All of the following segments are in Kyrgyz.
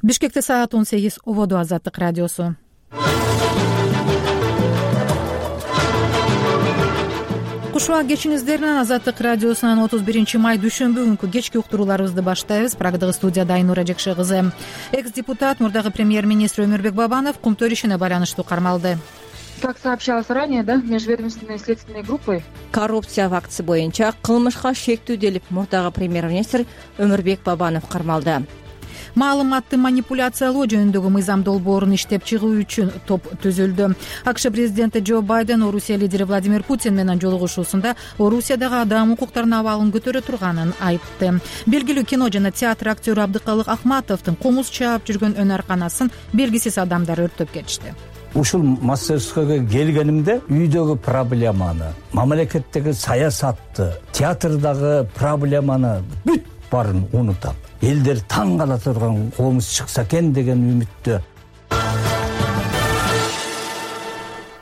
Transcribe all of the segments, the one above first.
Бишкекте саат 18 ободу Азаттык радиосу. Кушуа кечиңиздеринен Азаттык радиосунан 31-май дүйшөмбү күнкү кечки уктурууларыбызды баштайбыз. Программадагы студияда Айнура Жекше кызы. Экс-депутат, мурдагы премьер-министр Өмүрбек Бабанов Кумтөр ишине байланыштуу кармалды. Как сообщалось ранее, межведомственной следственной группой коррупция фактысы боюнча кылмышка шектүүделип мурдагы премьер-министр Өмүрбек Бабанов кармалды. Маалыматты манипуляциялоо жөнүндөгү мыйзам долбоорун иштеп чыгуу үчүн топ түзүлдү. АКШ президенти Джо Байден Орусия лидери Владимир Путин менен жолугушуусунда Орусиядагы адам укуктарынын абалын көтөрө турганын айтты. Белгилүү кино жана театр актёру Абдыкалык Ахматовдун комуз чаап жүргөн өнөрканасын белгисиз адамдар өрттөп кетишти. Ушул мастерскойго келгенимде үйдөгү проблеманы, мамлекеттеги саясатты, театрдагы проблеманы бүт баарын унутам. Элдер таң кала турган комуз чыкса экен деген үмүттө.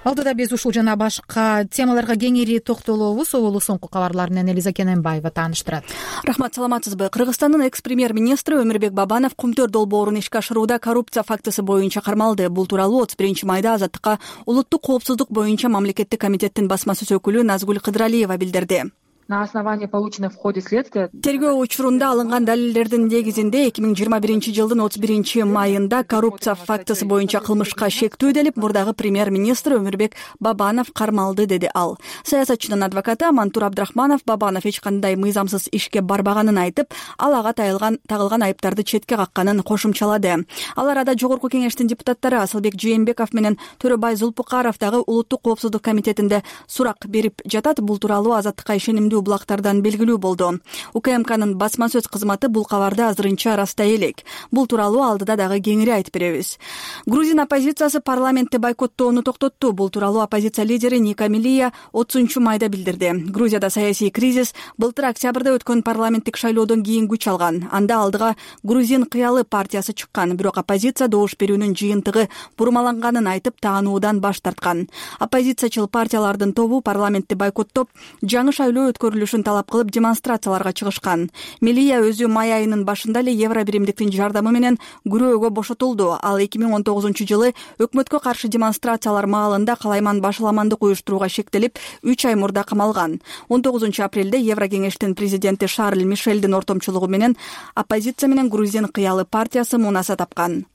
Алдыда биз ушул жана башка темаларга кеңири токтолобуз. Оболу соңку кабарлар менен Элиза Кененбаева тааныштырат. Рахмат, саламатсызбы? Кыргызстандын экс-премьер-министри Өмүрбек Бабанов Кумтөр долбоорун ишке ашырууда коррупция фактысы боюнча кармалды. Бул тууралуу 31-майда Азаттыкка улуттук коопсуздук боюнча мамлекеттик комитеттин басма сөз өкүлү Назгүл Кыдыралиева билдирди. На основании полученных в ходе следствия тергөө учурунда алынган далилдердин негизинде 2021-жылдын 31-майында коррупция фактысы боюнча кылмышка шектүүделип мурдагы премьер-министр Өмүрбек Бабанов кармалды, деди ал. Саясатчынын адвокаты Мантур Абдрахманов Бабанов эч кандай мыйзамсыз ишке барбаганын айтып, ал ага тагылган айыптарды четке какканын кошумчалады. Ал арада Жогорку кеңештин депутаттары Асылбек Жээнбеков менен Төрөбай Зулпукаров дагы улуттук коопсуздук комитетинде сурак берип жатат. Бул тууралуу Азаттыкка ишенимдүү булактардан белгилүү болду. УКМКнын басма сөз кызматы бул кабарды азырынча растай элек. Бул тууралуу алдыда дагы кеңири айтып беребиз. Грузин оппозициясы парламентти бойкоттоону токтотту. Бул тууралуу оппозиция лидери Ника Милия 30-майда билдирди. Грузияда саясий кризис былтыр октябрда өткөн парламенттик шайлоодон кийин күч алган. Анда алдыга Грузин кыялы партиясы чыккан, бирок оппозиция добуш берүүнүн жыйынтыгы бурмаланганын айтып таануудан баш тарткан. Оппозициячыл партиялардын тобу парламентти бойкоттоп, жаңы шайлоо өткөрүлүшүн талап кылып демонстрацияларга чыгышкан. Милия өзү май айынын башында эле Евро биримдиктин жардамы менен күрөөгө бошотулду. Ал 2019-жылы өкмөткө каршы демонстрациялар маалында калайман башаламандык уюштурууга шектелип 3 ай мурда камалган. 19-апрелде Евро кеңештин президенти Шарль Мишелдин ортомчулугу менен оппозиция менен Грузин кыялы партиясы мунаса тапкан.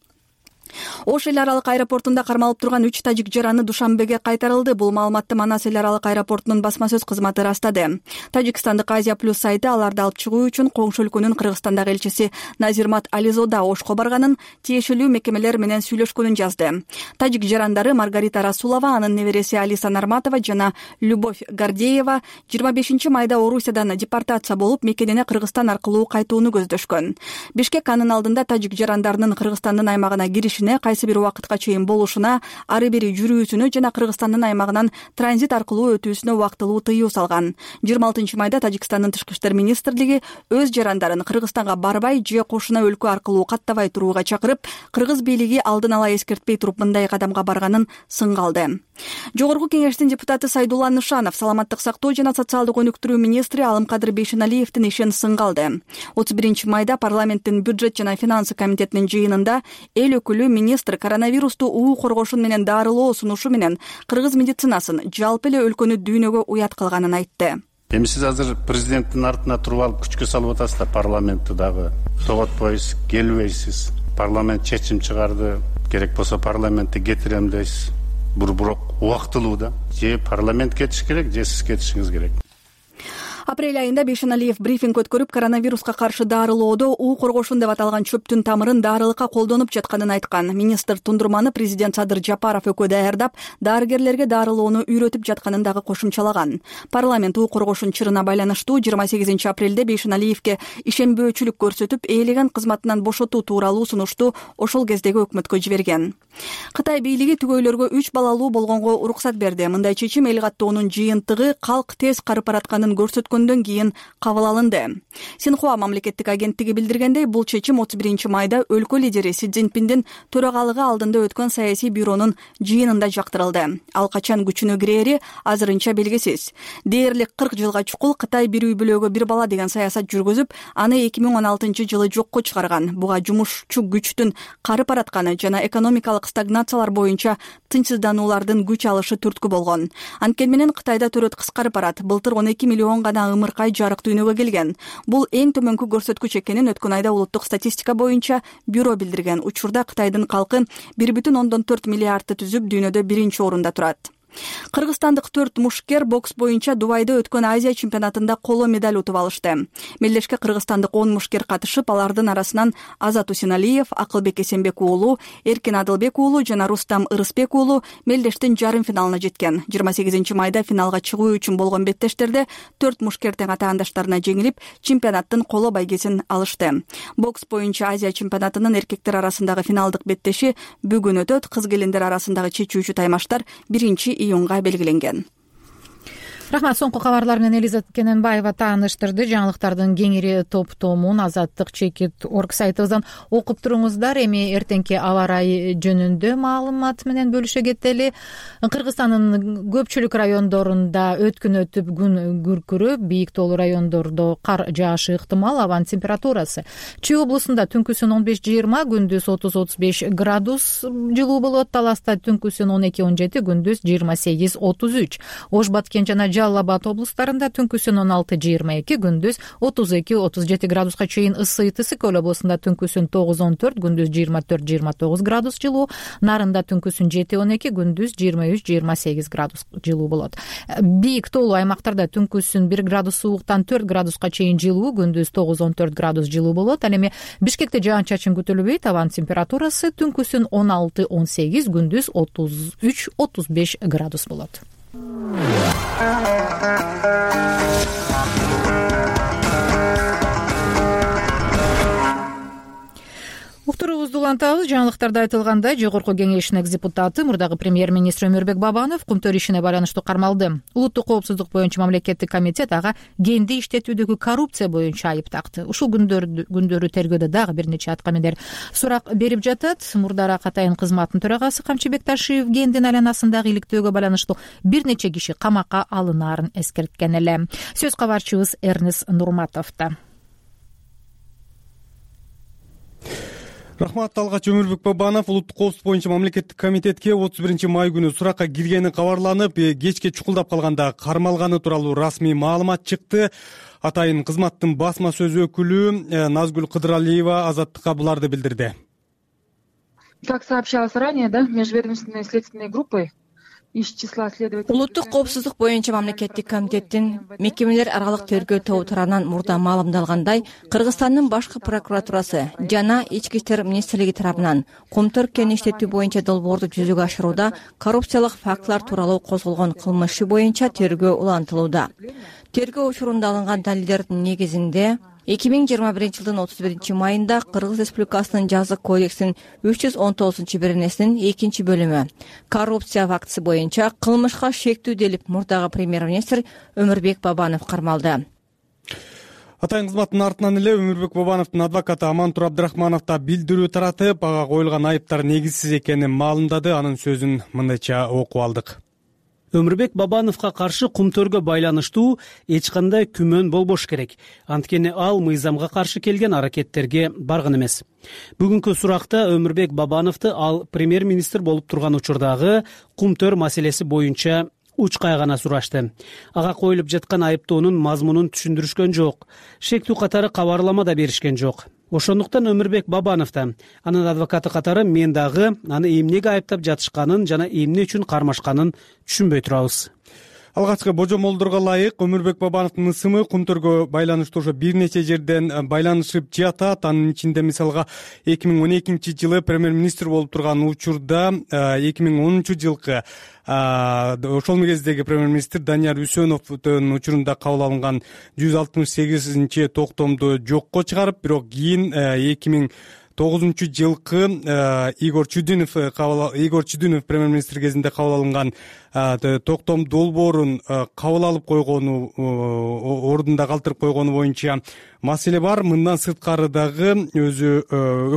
Ош эл аралык аэропортунда кармалып турган 3 тажик жараны Душанбеге кайтарылды. Бул маалыматты Манас эл аралык аэропортунун басма сөз кызматы растады. Тажикстандык Азия Плюс сайты аларды алып чыгуу үчүн коңшу өлкөнүн Кыргызстандагы элчиси Назирмат Ализода Ошко барганын, тиешелүү мекемелер менен сүйлөшкөнүн жазды. Тажик жарандары Маргарита Расулова, анын небереси Алиса Нарматова жана Любовь Гордеева 25-майда Орусиядан депортация болуп, мекенине Кыргызстан аркылуу кайтууну көздөшкөн. Бишкек анын алдында тажик жарандарынын Кыргызстандын аймагына кириши кайсы бир убакытка чейин болушуна, ары бери жүрүүсүнө жана Кыргызстандын аймагынан транзит аркылуу өтүүсүнө убактылуу тыюу салган. 26-майда Тажикстандын тышкы иштер министрлиги өз жарандарын Кыргызстанга барбай же кошуна өлкө аркылуу каттабай турууга чакырып, кыргыз бийлиги алдын ала эскертпей туруп мындай кадамга барганын сынга алды. Жогорку кеңештин депутаты Сайдулла Нышанов саламаттык сактоо жана социалдык өнүктүрүү министри Алымкадыр Бейшеналиевдин ишин сынга алды. 31-майда парламенттин бюджет жана финансы комитетинин жыйынында эл өкүлү министр коронавирусту уу коргошун менен дарылоо сунушу менен кыргыз медицинасын, жалпы эле өлкөнү дүйнөгө уят кылганын айтты. Эми сиз азыр президенттин артына туруп алып күчкө салып атасыздар, парламентти дагы тоготпойсуз, келбейсиз. Парламент чечим чыгарды, керек болсо парламентти кетирем дейсиз. Бирок убактылуу да. Же парламент кетиш керек, же сиз кетишиңиз керек. Апрель айында Бейшеналиев брифинг өткөрүп, коронавируска каршы дарылоодо уу коргошун деп аталган чөптүн тамырын дарылыкка колдонуп жатканын айткан. Министр тундурманы президент Садыр Жапаров экөө даярдап, дарыгерлерге дарылоону үйрөтүп жатканын дагы кошумчалаган. Парламент уу коргошун чырына байланыштуу 28-апрелде Бейшеналиевке ишенбөөчүлүк көрсөтүп, ээлеген кызматынан бошотуу тууралуу сунушту ошол кездеги өкмөткө жиберген. Кытай бийлиги түгөйлөргө 3 балалуу болгонго уруксат берди. Мындай чечим эл каттоонун жыйынтыгы калк тез карып баратканын көрсөткөн өткөндөн кийин кабыл алынды. Синхуа мамлекеттик агенттиги билдиргендей, бул чечим 31 майда өлкө лидери Си Цзиньпиндин төрагалыгы алдында өткөн саясий бюронун жыйынында жактырылды. Ал качан күчүнө кирери азырынча белгисиз. Дээрлик 40 жылга чукул Кытай бир үй бүлөгө бир бала деген саясат жүргүзүп, аны 2016 жылы жокко чыгарган. Буга жумушчу күчтүн карып баратканы жана экономикалык стагнациялар боюнча тынчсыздануулардын күч алышы түрткү болгон. Анткени менен Кытайда төрөт кыскарып барат. Былтыр 12 миллион гана ымыркай жарык дүйнөгө келген. Бул эң төмөнкү көрсөткүч экенин өткөн айда улуттук статистика боюнча бюро билдирген. Учурда Кытайдын калкы 1,4 миллиардты түзүп, дүйнөдө биринчи орунда турат. Кыргызстандык 4 мушкер бокс боюнча Дубайда өткөн Азия чемпионатында коло медаль утуп алышты. Мелдешке кыргызстандык 10 мушкер катышып, алардын арасынан Азат Усеналиев, Акылбек Эсенбек уулу, Эркин Адылбек уулу жана Рустам Ырысбек уулу мелдештин жарым финалына жеткен. 28 майда финалга чыгуу үчүн болгон беттештерде 4 мушкер тең атаандаштарына жеңилип, чемпионаттын коло байгесин алышты. Бокс боюнча Азия чемпионатынын эркектер арасындагы финалдык беттеши бүгүн өтөт. Кыз келиндер арасындагы чечүүчү таймаштар 1-июнга белгиленген. Рахмат. Соңку кабарлар менен Элиза Кененбаева тааныштырды. Жаңылыктардын кеңири топтомун Азаттык чекит орг сайтыбыздан окуп туруңуздар. Эми эртеңки аба ырайы жөнүндө маалымат менен бөлүшө кетели. Кыргызстандын көпчүлүк райондорунда өткүн өтүп күн күркүрөп, бийик тоолуу райондордо кар жаашы ыктымал. Абанын температурасы Чүй облусунда түнкүсүн 15-20, күндүз 30-35 градус жылуу болот. Таласта түнкүсүн 12-17, күндүз 28-33. Ош Баткен жана Жалал Абад облустарында түнкүсүн 16-22, күндүз 32-37 градуска чейин ысыйт. Ысык-Көл облусунда түнкүсүн 9-14, күндүз 24-29 градус жылуу. Нарында түнкүсүн 7-12, күндүз 23-28 градус жылуу болот. Бийик тоолуу аймактарда түнкүсүн 1 градус сууктан 4 градуска чейин жылуу, күндүз 9-14 градус жылуу болот. Ал эми Бишкекте жаан-чачын күтүлбөйт. Абанын температурасы түнкүсүн 16-18, күндүз 33-35 градус болот. Уктуруубузду улантабыз. Жаңылыктарда айтылгандай, Жогорку Кеңештин экс-депутаты, мурдагы премьер-министр Өмүрбек Бабанов Кумтөр ишине байланыштуу кармалды. Улуттук коопсуздук боюнча мамлекеттик комитет ага генди иштетүүдөгү коррупция боюнча айып такты. Ушул күндөрү тергөөдө дагы бир нече аткаминер сурак берип жатат. Мурдара Катайын кызматынын төрагасы Камчы Бекташиев гендин айланасындагы иликтөөгө байланыштуу бир нече киши камакка алынаарын эскерткен эле. Сөз кабарчыбыз Эрнес Нурматовдо. Рахмат. Алгач Өмүрбек Бабанов улуттук коопсуздук боюнча мамлекеттик комитетке 31 май күнү суракка киргени кабарланып, кечке чукулдап калганда кармалганы тууралуу расмий маалымат чыкты. Атайын кызматтын басма сөз өкүлү Назгүл Кыдыралиева Азаттыкка буларды билдирди. Как сообщалось ранее, межведомственной следственной группой из числа следователей. Улуттук коопсуздук боюнча мамлекеттик комитеттин мекемелер аралык тергөө тобу тарабынан мурда маалымдалгандай, Кыргызстандын башкы прокуратурасы жана Ички иштер министрлиги тарабынан Кумтөр кен иштетүү боюнча долбоорду жүзөгө ашырууда коррупциялык фактылар тууралуу козголгон кылмыш иши боюнча тергөө улантылууда. Тергөө учурунда алынган далилдердин негизинде 2021 жылдын 31 майында Кыргыз Республикасынын жазык кодексинин 319-беренесинин 2-бөлүмү коррупция фактысы боюнча кылмышка шектүү делип мурдагы премьер-министр Өмүрбек Бабанов кармалды. Атайын кызматтын артынан эле Өмүрбек Бабановдун адвокаты Амантур Абдрахманов да билдирүү таратып, ага коюлган айыптар негизсиз экенин маалымдады. Анын сөзүн мындайча окуп алдык. Өмүрбек Бабановго каршы Кумтөргө байланыштуу эч кандай күмөн болбош керек. Анткени ал мыйзамга каршы келген аракеттерге барган эмес. Бүгүнкү суракта Өмүрбек Бабановду ал премьер-министр болуп турган учурдагы Кумтөр маселеси боюнча учкай гана сурашты. Ага коюлуп жаткан айыптоонун мазмунун түшүндүрүшкөн жок. Шектүү катары кабарлама да беришкен жок. Ошондуктан Өмүрбек Бабанов да, анын адвокаты катары мен дагы аны эмнеге айыптап жатышканын жана эмне үчүн кармашканын түшүнбөй турабыз. Алгачкы божомолдорго ылайык Өмүрбек Бабановдун ысымы Кумтөргө байланыштуу ошо бир нече жерден байланышып жатат. Анын ичинде мисалга 2012 жылы премьер-министр болуп турган учурда 2010 жылкы ошол кездеги премьер-министр Данияр Үсөновдун учурунда кабыл алынган 168-токтомду жокко чыгарып, бирок кийин жылкы Игорь Чудинов премьер-министр кезинде кабыл алынган токтом долбоорун кабыл алып койгону, ордунда калтырып койгону боюнча маселе бар. Мындан сырткары дагы өзү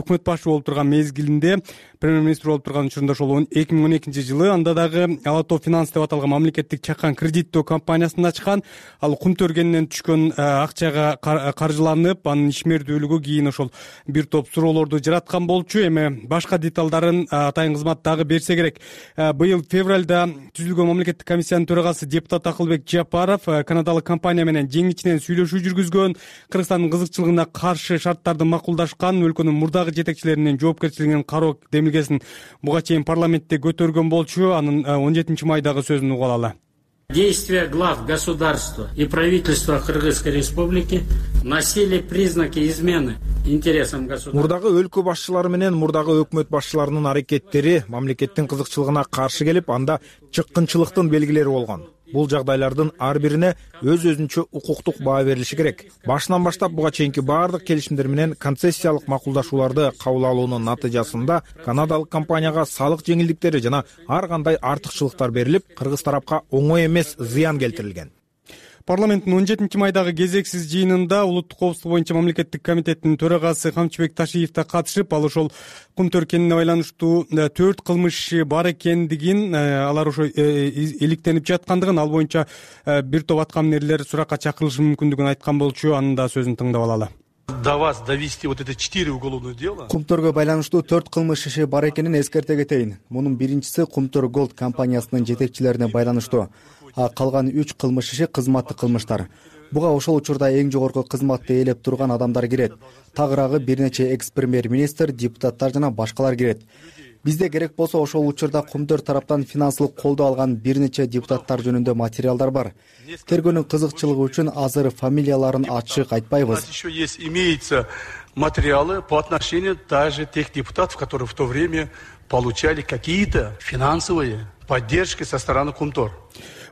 өкмөт башы болуп турган мезгилинде, премьер-министр болуп турган учурунда ошол 2012-жылы анда дагы Ала Тоо Финанс деп аталган мамлекеттик чакан кредиттөө компаниясын ачкан. Ал кум төргенинен түшкөн акчага каржыланып, анын ишмердүүлүгү кийин ошол бир топ суроолорду жараткан болчу. Эми башка деталдарын атайын кызмат дагы берсе керек. Быйыл февралда түзүлгөн мамлекеттик комиссиянын төрагасы депутат Акылбек Жапаров канадалык компания менен жең ичинен сүйлөшүү жүргүзгөн, Кыргызстандын кызыкчылыгына каршы шарттарды макулдашкан, өлкөнүн мурдагы жетекчилеринин жоопкерчилигинин кароо демилгесин буга чейин парламентте көтөргөн болчу. Анын 17 майдагы сөзүн угуп алалы. Действия глав государства и правительства Кыргызской республики носили признаки измены интересам государства. Мурдагы өлкө башчылары менен мурдагы өкмөт башчыларынын аракеттери мамлекеттин кызыкчылыгына каршы келип, анда чыккынчылыктын белгилери болгон. Бул жагдайлардын ар бирине өз-өзүнчө укуктук баа берилиши керек. Башынан баштап буга чейинки баардык келишимдер менен концессиялык макулдашууларды кабыл алуунун натыйжасында канадалык компанияга салык жеңилдиктери жана ар кандай артыкчылыктар берилип, кыргыз тарапка оңой эмес зыян келтирилген. Парламенттин 17 майдагы кезексиз жыйынында улуттук коопсуздук боюнча мамлекеттик комитеттин төрагасы Камчыбек Ташиев да катышып, ал ошол кум төркенине байланыштуу 4 кылмыш бар экендигин, алар ошо иликтенип жаткандыгын, ал боюнча бир топ аткаминерлер суракка чакырылышы мүмкүндүгүн айткан болчу. Анын да сөзүн тыңдап алалы. До вас довести вот это 4 уголовных дела. Кумтөргө байланыштуу 4 кылмыш иши бар экенин эскерте кетейин. Мунун биринчиси Кумтөр Голд компаниясынын жетекчилерине байланыштуу. Калган 3 кылмыш иши кызматтык кылмыштар. Буга ошол учурда эң жогорку кызматты ээлеп турган адамдар кирет. Тагыраагы бир нече экс-премьер-министр, депутаттар жана башкалар кирет. Бизде керек болсо ошол учурда Кумтөр тараптан финансылык колдоо алган бир нече депутаттар жөнүндө материалдар бар. Тергөөнүн кызыкчылыгы үчүн азыр фамилияларын ачык айтпайбыз. Еще есть, имеются материалы по отношению даже тех депутатов, которые в то время получали какие-то финансовые поддержки со стороны Кумтор.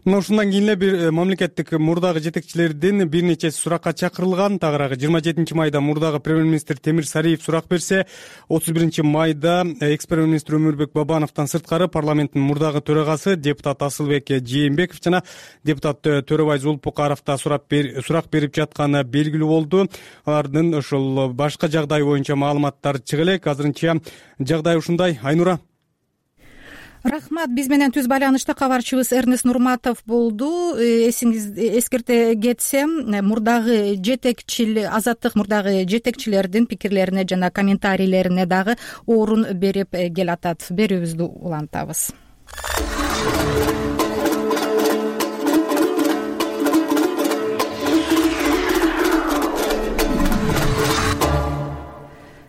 Мына ушундан кийин эле бир мамлекеттик мурдагы жетекчилердин бир нечеси суракка чакырылган. Тагыраагы 27 майда мурдагы премьер-министр Темир Сариев сурак берсе, 31 майда экс-премьер-министр Өмүрбек Бабановдон сырткары парламенттин мурдагы төрагасы депутат Асылбек Жээнбеков жана депутат Төрөбай Зулпукаров да сурак берип жатканы белгилүү болду. Алардын ошол башка жагдай боюнча маалыматтар чыга элек. Азырынча жагдай ушундай. Айнура. Рахмат. Биз менен түз байланышта кабарчыбыз Эрнест Нурматов болду. Эскерте кетсем, мурдагы Азаттык мурдагы жетекчилердин пикирлерине жана комментарийлерине дагы орун берип келатат. Берүүбүздү улантабыз.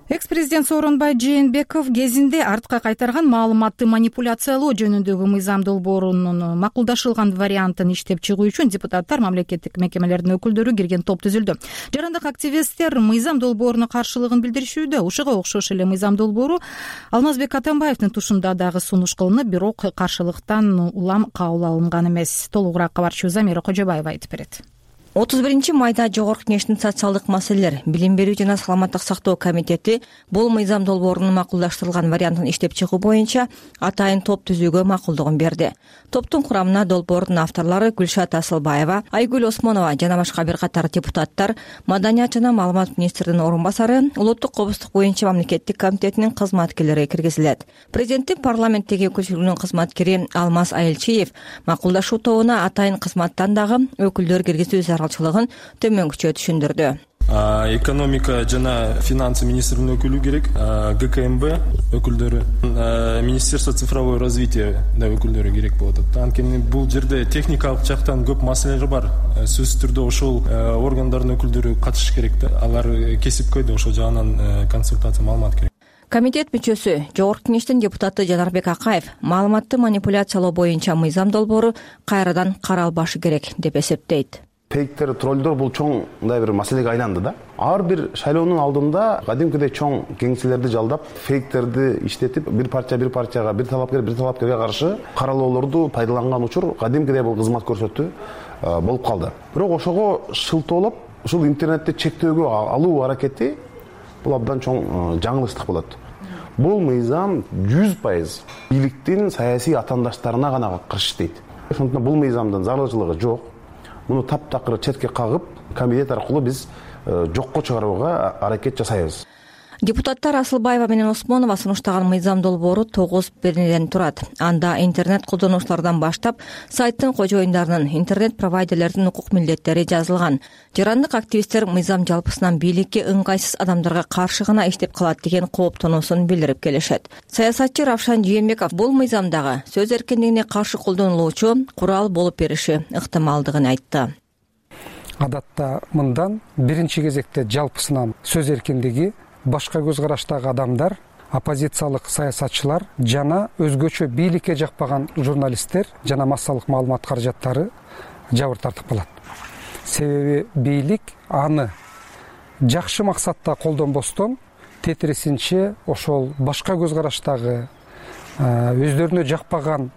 Экс-президент Сооронбай Жээнбеков кезинде артка кайтарган маалыматты манипуляциялоо жөнүндөгү мыйзам долбоорунун макулдашылган вариантын иштеп чыгуу үчүн депутаттар, мамлекеттик мекемелердин өкүлдөрү кирген топ түзүлдү. Жарандык активисттер мыйзам долбооруна каршылыгын билдиришүүдө. Ушуга окшош эле мыйзам долбоору Алмазбек Атамбаевдин тушунда дагы сунуш кылынып, бирок каршылыктан улам кабыл алынган эмес. Толугураак кабарчыбыз Замира Кожобаева айтып берет. 31 майда Жогорку Кеңештин социалдык маселелер, билим берүү жана саламаттык сактоо комитети бул мыйзам долбоорунун макулдаштырылган вариантын иштеп чыгуу боюнча атайын топ түзүүгө макулдугун берди. Топтун курамына долбоордун авторлору Гүлшат Асылбаева, Айгүл Осмонова жана башка бир катар депутаттар, Маданият жана маалымат министринин орун басары, Улуттук коопсуздук боюнча мамлекеттик комитетинин кызматкерлери киргизилет. Президенттин парламенттеги өкүлчүлүгүнүн кызматкери Алмаз Айылчиев макулдашуу тобуна атайын кызматтан дагы өкүлдөр киргизүү зарылчылыгын төмөнкүчө түшүндүрдү. Экономика жана финансы министринин өкүлү керек, ГКМБ өкүлдөрү, Министерство цифровое развитие да өкүлдөрү керек болот. Анткени бул жерде техникалык жактан көп маселелер бар. Сөзсүз түрдө ошол органдардын өкүлдөрү катышыш керек да. Алар кесипкөй да ошол жагынан консультация маалымат керек. Комитет мүчөсү, Жогорку Кеңештин депутаты Жанарбек Акаев маалыматты манипуляциялоо боюнча мыйзам долбоору кайрадан каралбашы керек деп эсептейт. Фейктер, троллдор бул чоң мындай бир маселеге айланды да. Ар бир шайлоонун алдында кадимкидей чоң кеңселерди жалдап, фейктерди иштетип, бир парчага, бир талапкерге каршы каралоолорду пайдаланган учур кадимкидей бул кызмат көрсөттү болуп калды. Бирок ошого шылтоолоп, ушул интернетти чектөөгө алуу аракети бул абдан чоң жаңылыштык болот. Бул мыйзам 100% бийликтин саясий атаандаштарына гана каршы иштейт. Ошондуктан бул мыйзамдын зарылчылыгы жок. Муну таптакыр четке кагып, комитет аркылуу биз жокко чыгарууга аракет жасайбыз. Депутаттар Асылбаева менен Осмонова сунуштаган мыйзам долбоору 9 беренеден турат. Анда интернет колдонуучулардан баштап сайттын кожоюндарынын, интернет провайдерлердин укук милдеттери жазылган. Жарандык активисттер мыйзам жалпысынан бийликке ыңгайсыз адамдарга каршы гана иштеп калат деген кооптонуусун билдирип келишет. Саясатчы Равшан Жээнбеков бул мыйзамдагы сөз эркиндигине каршы колдонулуучу курал болуп бериши ыктымалдыгын айтты. Адатта мындан биринчи кезекте жалпысынан сөз эркиндиги, башка көз караштагы адамдар, оппозициялык саясатчылар жана өзгөчө бийликке жакпаган журналисттер жана массалык маалымат каражаттары жабыр тартып калат. Себеби бийлик аны жакшы максатта колдонбостон тетирисинче ошол башка көз караштагы өздөрүнө жакпаган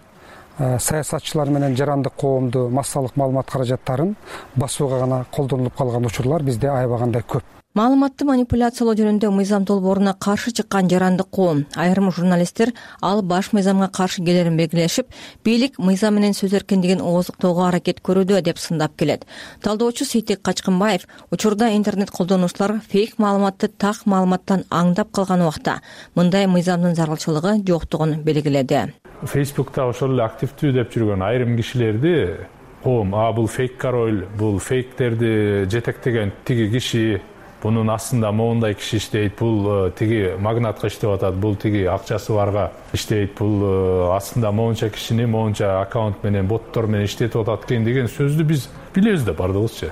саясатчылар менен жарандык коомду массалык маалымат каражаттарын басууга гана колдонулуп калган учурлар бизде аябагандай көп. Маалыматты манипуляциялоо жөнүндө мыйзам долбооруна каршы чыккан жарандык коом, айрым журналисттер ал баш мыйзамга каршы келерин белгилешип, бийлик мыйзам менен сөз эркиндигин ооздуктоого аракет көрүүдө деп сындап келет. Талдоочу Сейтек Качкынбаев учурда интернет колдонуучулар фейк маалыматты так маалыматтан аңдап калган убакта мындай мыйзамдын зарылчылыгы жоктугун белгиледи. Фейсбукта ошол эле активдүү деп жүргөн айрым кишилерди коом, бул фейк король, бул фейктерди жетектеген тиги киши, бунун астында моундай киши иштейт, бул тиги магнатка иштеп атат, бул тиги акчасы барга иштейт, бул астында моунча кишини моунча аккаунт менен, боттор менен иштетип атат экен деген сөздү биз билебиз да бардыгыбызча.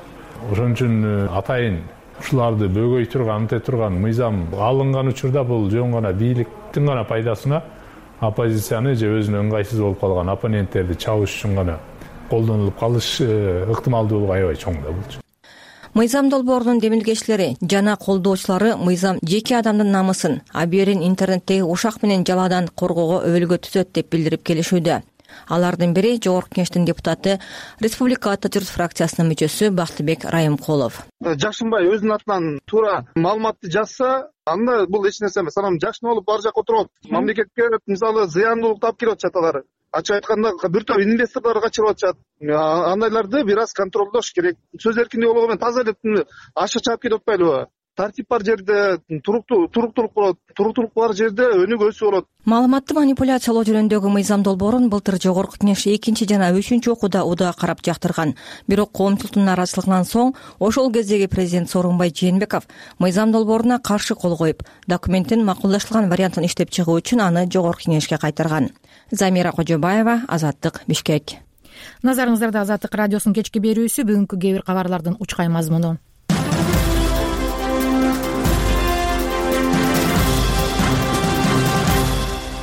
Ошон үчүн атайын ушуларды бөгөй турган, анте турган мыйзам алынган учурда бул жөн гана бийликтин гана пайдасына, оппозицияны же өзүнө ыңгайсыз болуп калган оппоненттерди чабыш үчүн гана колдонулуп калыш ыктымалдуулугу аябай чоң да бул. Мыйзам долбоорунун демилгечилери жана колдоочулары мыйзам жеке адамдын намысын, абийирин интернеттеги ушак менен жаладан коргоого өбөлгө түзөт деп билдирип келишүүдө. Алардын бири Жогорку Кеңештин депутаты, Республика Ата журт фракциясынын мүчөсү Бактыбек Райымкулов. Жакшынбай өзүнүн атынан туура маалыматты жазса, анда бул эч нерсе эмес. Анан жакшы болуп ар жакка отуруп, мамлекетке мисалы зыяндуулук таап келип атышат алар. Ачык айтканда бир топ инвесторлор качырып атышат. Андайларды бир аз контролдош керек. Сөз эркиндиги болгону менен таза эле ашык чаап келип атпайлыбы? Тартип бар жерде туруктуулук болот, туруктуулук бар жерде өнүгүү өсүү болот. Маалыматты манипуляциялоо жөнүндөгү мыйзам долбоорун былтыр Жогорку Кеңеш 2 жана 3 окууда удаа карап жактырган. Бирок коомчулуктун нааразычылыгынан соң ошол кездеги президент Сооронбай Жээнбеков мыйзам долбооруна каршы кол коюп, документтин макулдаштырылган вариантын иштеп чыгуу үчүн аны Жогорку Кеңешке кайтарган. Замира Кожобаева, Азаттык, Бишкек. Назарыңыздарда Азаттык радиосунун кечки берүүсү, бүгүнкү кээ бир кабарлардын учкай мазмуну.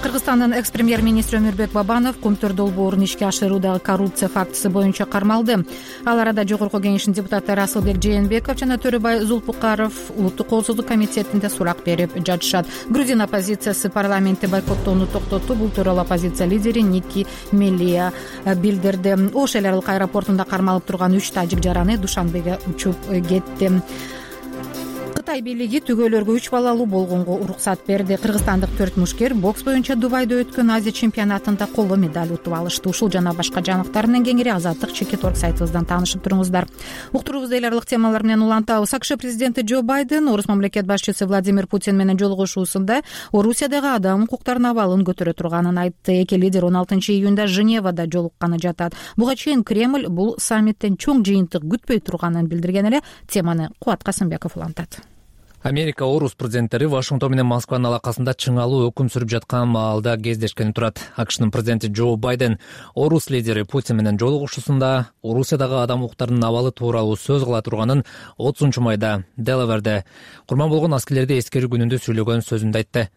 Кыргызстандын экс-премьер-министри Өмүрбек Бабанов Кумтөр долбоорун ишке ашыруудагы коррупция фактысы боюнча кармалды. Ал арада Жогорку Кеңештин депутаттары Асылбек Жээнбеков жана Төрөбай Зулпукаров Улуттук коопсуздук комитетинде сурак берип жатышат. Грузин оппозициясы парламентте бойкоттоону токтотту. Бул тууралуу оппозиция лидери Ники Мелия билдирди. Ош эл аралык аэропортунда кармалып турган 3 тажик жараны Душанбеге учуп кетти. Кытай бийлиги түгөйлөргө 3 балалуу болгонго уруксат берди. Кыргызстандык 4 мушкер бокс боюнча Дубайда өткөн Азия чемпионатында коло медаль утуп алышты. Ушул жана башка жаңылыктар менен кеңири Азаттык Чекит.org сайтыбыздан таанышып туруңуздар. Уктуруубузду эл аралык темалар менен улантабыз. АКШ президенти Джо Байден Орус мамлекет башчысы Владимир Путин менен жолугушуусунда Орусиядагы адам укуктарынын абалын көтөрө турганын айтты. Эки лидер 16 июнда Женевада жолукканы жатат. Буга чейин Кремль бул саммиттен чоң жыйынтык күтпөй турганын билдирген эле. Теманы Кубат Касымбеков улантат. Америка Орус президенттери Вашингтон менен Москванын алакасында чыңалуу өкүм сүрүп жаткан маалда кездешкени турат. АКШнын президенти Джо Байден Орус лидери Путин менен жолугушуусунда Орусиядагы адам укуктарынын абалы тууралуу сөз кыла турганын 30-майда Делаверде курман болгон аскерлерди эскерүү күнүндө сүйлөгөн сөзүндө айтты.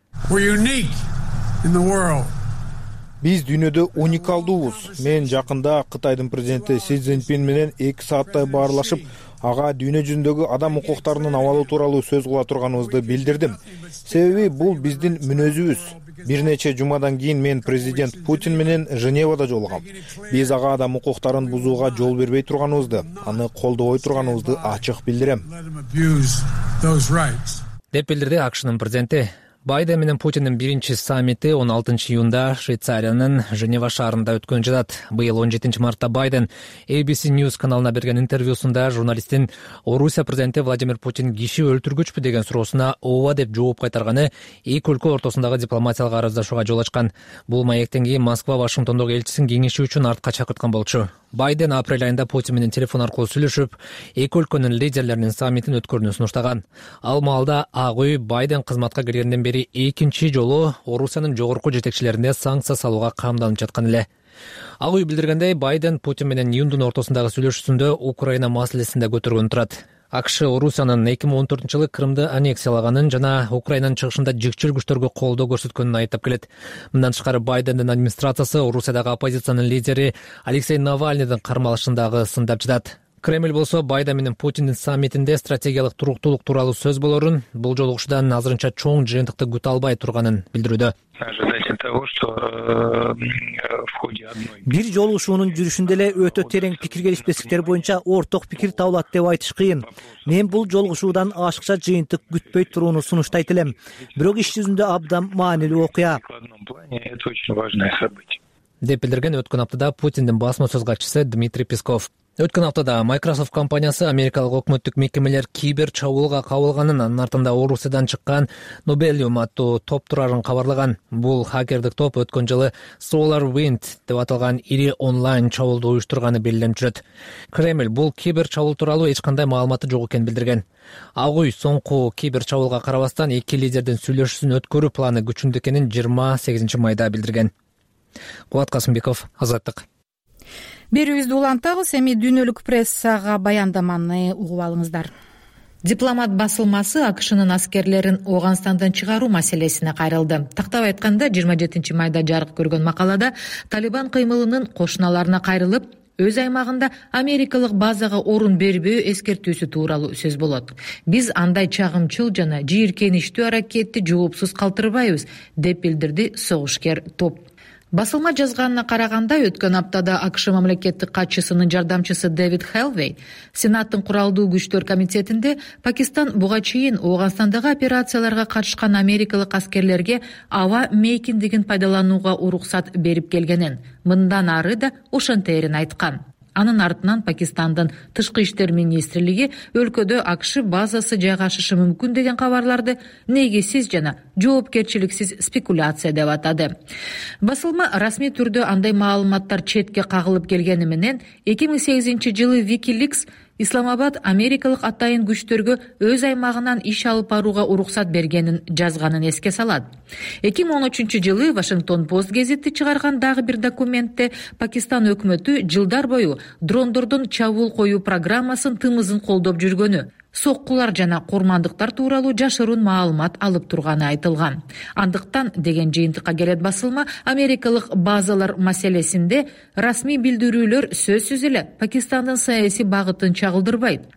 Биз дүйнөдө уникалдуубуз. Мен жакында Кытайдын президенти Си Цзиньпин менен 2 сааттай баарлашып, ага дүйнө жүзүндөгү адам укуктарынын абалы тууралуу сөз кыла турганыбызды билдирдим. Себеби бул биздин мүнөзүбүз. Бир нече жумадан кийин мен президент Путин менен Женевада жолугам. Биз ага адам укуктарын бузууга жол бербей турганыбызды, аны колдобой турганыбызды ачык билдирем. деп билдирди акшнын президенти. Байден менен Путиндин биринчи саммити 16 июнда Швейцариянын Женева шаарында өткөн жатат. Быйыл 17 мартта Байден ABC News каналына берген интервьюсунда журналисттин Орусия президенти Владимир Путин киши өлтүргүчпү деген суроосуна ооба деп жооп кайтарганы эки өлкө ортосундагы дипломатиялык араздашууга жол ачкан. Бул маектен кийин Москва Вашингтондогу элчисин кеңешүү үчүн артка чакырткан болчу. Байден апрель айында Путин менен телефон аркылуу сүйлөшүп, эки өлкөнүн лидерлеринин саммитин өткөрүүнү сунуштаган. Ал маалда Ак үй Байден кызматка киргенден бери экинчи жолу Орусиянын жогорку жетекчилерине санкция салууга камданып жаткан эле. Ак үй билдиргендей, Байден Путин менен июндун ортосундагы сүйлөшүүсүндө Украина маселесин да көтөргөн турат. АКШ Орусиянын 2014-жылы Крымды аннексиялаганын жана Украинанын чыгышында жикчил күчтөргө колдоо көрсөткөнүн айыптап келет. Мындан тышкары Байдендин администрациясы Орусиядагы оппозициянын лидери Алексей Навальныйдын кармалышын дагы сындап жатат. Кремль болсо Байден менен Путиндин саммитинде стратегиялык туруктуулук тууралуу сөз болорун, бул жолугушуудан азырынча чоң жыйынтыкты күтө албай турганын билдирүүдө. Бир жолугушуунун жүрүшүндө эле өтө терең пикир келишпестиктер боюнча орток пикир табылат деп айтыш кыйын. Мен бул жолугушуудан ашыкча жыйынтык күтпөй турууну сунуштайт элем. Бирок иш жүзүндө абдан маанилүү окуя. Деп билдирген өткөн аптада Путиндин басма сөз катчысы Дмитрий Песков. Өткөн аптада Microsoft компаниясы америкалык өкмөттүк мекемелер кибер чабуулга кабылганын, анын артында Орусиядан чыккан Nobelium аттуу топ турарын кабарлаган. Бул хакердик топ өткөн жылы SolarWind деп аталган ири онлайн чабуулду уюштурганы белгиленип жүрөт. Кремль бул кибер чабуул тууралуу эч кандай маалыматы жок экенин билдирген. Ак үй соңку кибер чабуулга карабастан эки лидердин сүйлөшүүсүн өткөрүү планы күчүндө экенин 28 майда билдирген. Кубат Касымбеков, Азаттык. Берүүбүздү улантабыз, эми дүйнөлүк прессага баяндаманы угуп алыңыздар. Дипломат басылмасы АКШнын аскерлерин Ооганстандан чыгаруу маселесине кайрылды. Тактап айтканда 27 майда жарык көргөн макалада Талибан кыймылынын кошуналарына кайрылып, өз аймагында америкалык базага орун бербөө эскертүүсү тууралуу сөз болот. Биз андай чагымчыл жана жийиркеничтүү аракетти жоопсуз калтырбайбыз, деп билдирди согушкер топ. Басылма жазганына караганда, өткөн аптада АКШ мамлекеттик катчысынын жардамчысы Дэвид Хелвей Сенаттын куралдуу күчтөр комитетинде Пакистан буга чейин Ооганстандагы операцияларга катышкан америкалык аскерлерге аба мейкиндигин пайдаланууга уруксат берип келгенин, мындан ары да ошентээрин айткан. Анын артынан Пакистандын тышкы иштер министрлиги өлкөдө АКШ базасы жайгашышы мүмкүн деген кабарларды негизсиз жана жоопкерчиликсиз спекуляция деп атады. Басылма расмий түрдө андай маалыматтар четке кагылып келгени менен 2008 жылы WikiLeaks Исламабад америкалык атайын күчтөргө өз аймагынан иш алып барууга уруксат бергенин жазганын эске салат. 2013 жылы Вашингтон Пост гезити чыгарган дагы бир документте Пакистан өкмөтү жылдар бою дрондордун чабуул коюу программасын тымызын колдоп жүргөнү, соккулар жана курмандыктар тууралуу жашыруун маалымат алып турганы айтылган. Андыктан деген жыйынтыкка келет басылма, америкалык базалар маселесинде расмий билдирүүлөр сөзсүз эле Пакистандын саясий багытын чагылдырбайт.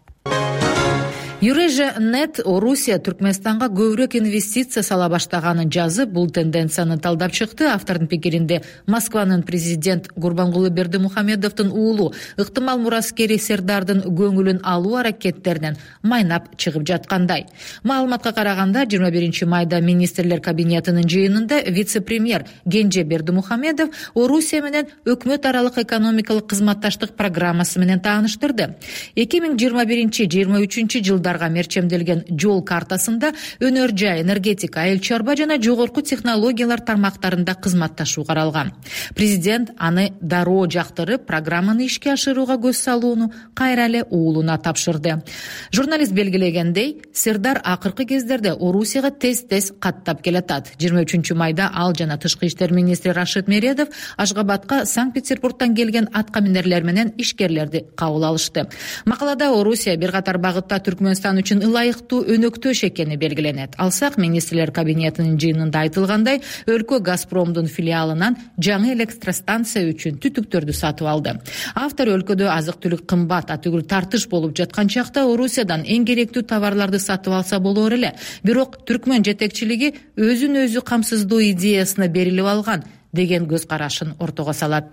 Eurasia.net Орусия Түркмөнстанга көбүрөөк инвестиция сала баштаганын жазып, бул тенденцияны талдап чыкты. Автордун пикиринде Москванын президент Гурбангулы Бердимухамедовдун уулу ыктымал мураскери Сердардын көңүлүн алуу аракеттеринен майнап чыгып жаткандай. Маалыматка караганда 21 майда министрлер кабинетинин жыйынында вице-премьер Генже Бердимухамедов Орусия менен өкмөт аралык экономикалык кызматташтык программасы менен тааныштырды. 2021-23 жылда мерчемделген жол картасында өнөр жай, энергетика, айыл чарба жана жогорку технологиялар тармактарында кызматташуу каралган. Президент аны дароо жактырып, программаны ишке ашырууга көз салууну кайра эле уулуна тапшырды. Журналист белгилегендей, Сердар акыркы кездерде Орусияга тез-тез каттап келатат. 23 майда ал жана тышкы иштер министри Рашид Мередов Ашгабадка Санкт-Петербургтан келген аткаминерлер менен ишкерлерди кабыл алышты. Макалада Орусия бир катар багытта Түркмөнстан үчүн ылайыктуу өнөктөш экени белгиленет. Алсак, министрлер кабинетинин жыйынында айтылгандай, өлкө Газпромдун филиалынан жаңы электростанция үчүн түтүктөрдү сатып алды. Автор өлкөдө азык-түлүк кымбат, атүгүл тартыш болуп жаткан чакта Орусиядан эң керектүү товарларды сатып алса болор эле. Бирок Түркмөн жетекчилиги өзүн өзү камсыздоо идеясына берилип алган деген көз карашын ортого салат.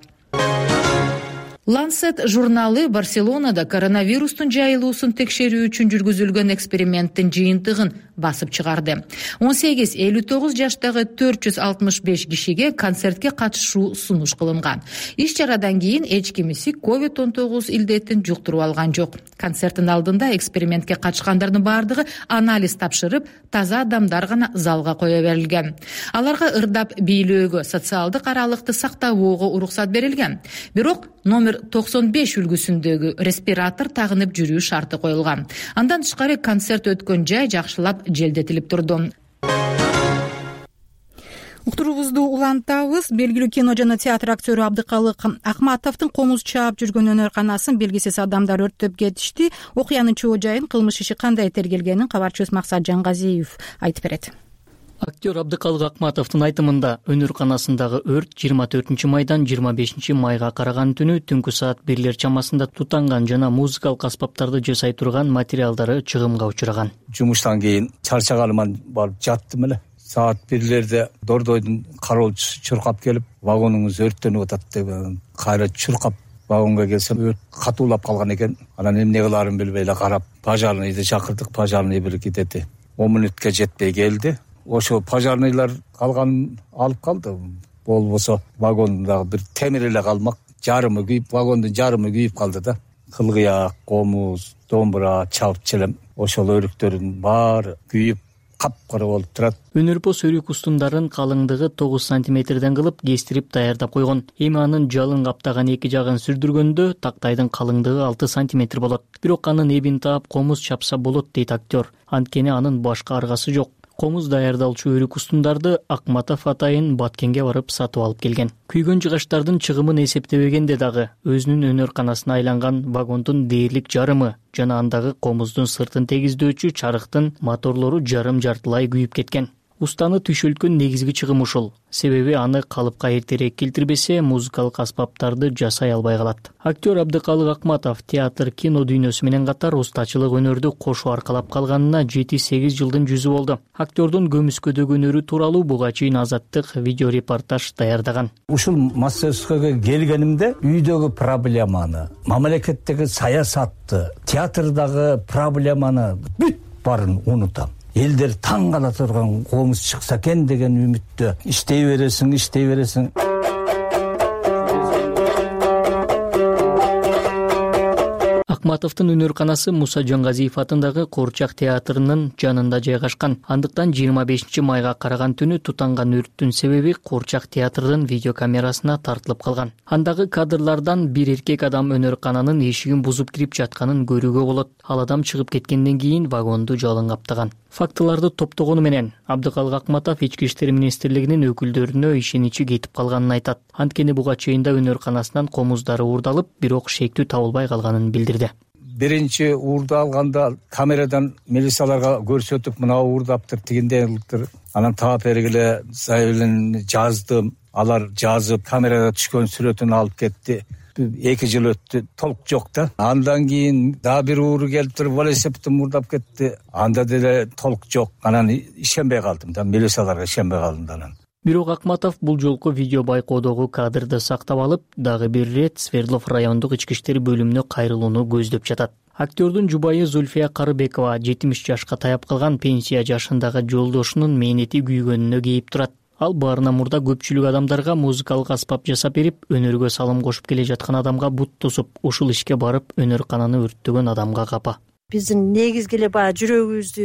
Lancet журналы Барселонада коронавирустун жайылуусун текшерүү үчүн жүргүзүлгөн эксперименттин жыйынтыгын басып чыгарды. 18-59 жаштагы 465 кишиге концертке катышуу сунуш кылынган. Иш чарадан кийин эч кимиси COVID-19 илдетин жуктуруп алган жок. Концерттин алдында экспериментке катышкандардын баардыгы анализ тапшырып, таза адамдар гана залга кое берилген. Аларга ырдап бийлөөгө, социалдык аралыкты сактабоого уруксат берилген. Бирок номер 95 үлгүсүндөгү респиратор тагынып жүрүү шарты коюлган. Андан тышкары концерт өткөн жай жакшылап желдетилип турду. Уктуруубузду улантабыз. Белгилүү кино жана театр актёру Абдыкалык Акматовдун комуз чаап жүргөн өнөрканасын белгисиз адамдар өрттөп кетишти. Окуянын чоо жайын, кылмыш иши кандай тергелгенин кабарчыбыз Максат Жангазиев айтып берет. Актер Абдыкалык Акматовдун айтымында өнөрканасындагы өрт 24 майдан 25 майга караган түнү түнкү саат 1 чамасында тутанган жана музыкалык аспаптарды жасай турган материалдары чыгымга учураган. Жумуштан кийин чарчаганыман барып жаттым эле. Саат 1-лерде Дордойдун кароолчусу чуркап келип, вагонуңуз өрттөнүп атат деп кайра чуркап вагонго келсем, өрт катуулап калган экен. Анан эмне кылаарын билбей эле карап, пожарныйды чакырдык, пожарный бир кетети 10 мүнөткө жетпей келди. Ошо пожарныйлар калганын алып калды. Болбосо вагондагы бир темир эле калмак, жарымы күйүп, вагондун жарымы күйүп калды да. Кылгыяк, комуз, домбура, чалып челем, ошол өрүктөрдүн баары күйүп капкара болуп турат. Өнөрпос өрүк устундарын калыңдыгы 9 сантиметрден кылып кестирип даярдап койгон. Эми анын жалын каптаган эки жагын сүрдүргөндө тактайдын калыңдыгы 6 сантиметр болот. Бирок анын эбин таап комуз чапса болот дейт актер. Анткени анын башка аргасы жок. Комуз даярдалчу өрүк устундарды Акматов атайын Баткенге барып сатып алып келген. Күйгөн жыгачтардын чыгымын эсептебегенде дагы өзүнүн өнөрканасына айланган вагондун дээрлик жарымы жана андагы комуздун сыртын тегиздөөчү чарыктын моторлору жарым-жартылай күйүп кеткен. Устаны түшөлткөн негизги чыгым ушул. Себеби аны калыпка эртерээк келтирбесе, музыкалык аспаптарды жасай албай калат. Актер Абдыкалык Акматов театр, кино дүйнөсү менен катар устачылык өнөрдү кошо аркалап калганына 7-8 жылдын жүзү болду. Актердун көмүскөдөгү өнөрү тууралуу буга чейин Азаттык видео репортаж даярдаган. Ушул мастерскойго келгенимде үйдөгү проблеманы, мамлекеттеги саясатты, театрдагы проблеманы бүт баарын унутам. Элдер таң кала турган комуз чыкса экен деген үмүттө иштей бересиң. Акматовдун өнөрканасы Муса Жангазиев атындагы Куурчак театрынын жанында жайгашкан. Андыктан 25 майга караган түнү тутанган өрттүн себеби Куурчак театрдын видеокамерасына тартылып калган. Андагы кадрлардан бир эркек адам өнөркананын эшигин бузуп кирип жатканын көрүүгө болот. Ал адам чыгып кеткенден кийин вагонду жалын каптаган. Фактыларды топтогону менен Абдыкалык Акматов Ички иштер министрлигинин өкүлдөрүнө ишеничи кетип калганын айтат. Анткени буга чейин да өнөрканасынан комуздары уурдалып, бирок шектүү табылбай калганын билдирди. Биринчи уурду алганда камерадан милицияларга көрсөтүп, мына уурдаптыр, тигиндейликтир. Анан таап бергиле заявление жаздым. Алар жазып, камерада түшкөн сүрөтүн алып кетти. 2 жыл өттү, толк жок да. Андан кийин да бир ууру келип туруп, велосипедти мурдап кетти. Анда деле толк жок. Анан ишенбей калдым да, милицияларга ишенбей калдым да. Бирок Акматов бул жолку видео байкоодогу кадрды сактап алып, дагы бир ирет Свердлов райондук ички иштер бөлүмүнө кайрылууну көздөп жатат. Актердун жубайы Зульфия Карыбекова 70 жашка таяп калган пенсия жашындагы жолдошунун мээнети күйгөнүнө кейип турат. Ал баарына мурда көпчүлүк адамдарга музыкалык аспап жасап берип, өнөргө салым кошуп келе жаткан адамга бут тосуп, ушул ишке барып өнөркананы өрттөгөн адамга капа. Биздин негизги эле баягы жүрөгүбүздү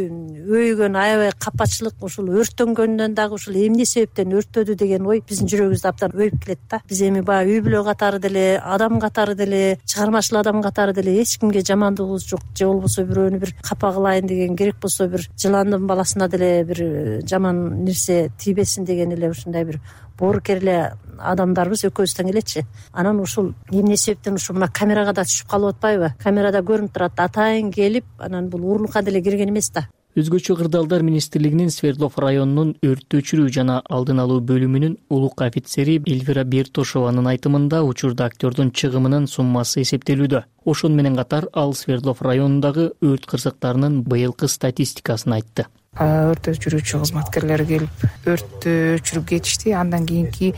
өйгөн аябай капачылык ушул өрттөнгөндөн дагы ушул эмне себептен өрттөдү деген ой биздин жүрөгүбүздү абдан өйүп келет да. Биз эми баягы үй бүлө катары деле, адам катары деле, чыгармачыл адам катары деле эч кимге жамандыгыбыз жок. Же болбосо бирөөнү бир капа кылайын деген, керек болсо бир жыландын баласына деле бир жаман нерсе тийбесин деген эле ушундай бир боорукер эле адамдарбыз экөөбүз тең элечи. Анан ушул эмне себептен ушул мына камерага да түшүп калып атпайбы? Камерада көрүнүп турат, атайын келип, анан бул уурулукка деле кирген эмес да. Өзгөчө кырдаалдар министрлигинин Свердлов районунун өрттү өчүрүү жана алдын алуу бөлүмүнүн улук офицери Эльвира Бертошованын айтымында учурда актердун чыгымынын суммасы эсептелүүдө. Ошону менен катар ал Свердлов районундагы өрт кырсыктарынын быйылкы статистикасын айтты. Өрт өчүрүүчү кызматкерлер келип өрттү өчүрүп кетишти. Андан кийинки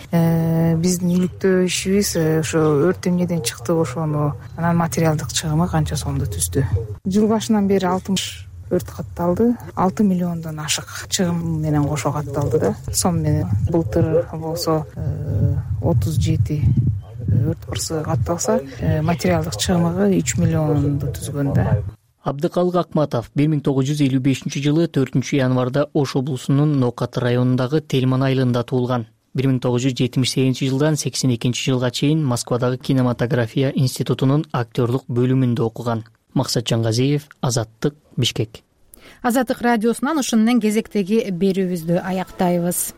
биздин иликтөө ишибиз ошо өрт эмнеден чыкты, ошону анан материалдык чыгымы канча сомду түздү. Жыл башынан бери 60 өрт катталды. 6 миллиондон ашык чыгым менен кошо катталды да. Сом менен былтыр болсо 37 өрт кырсыгы катталса, материалдык чыгымы 3 миллионду түзгөн да. Абдыкалык Акматов 1955-жылы 4 январда Ош облусунун Нокат районундагы Тельман айылында туулган. 1978-жылдан 82-жылга чейин Москвадагы кинематография институтунун актерлук бөлүмүндө окуган. Максат Жангазиев, Азаттык, Бишкек. Азаттык радиосунан ушунун кезектеги берүүбүздү аяктайбыз.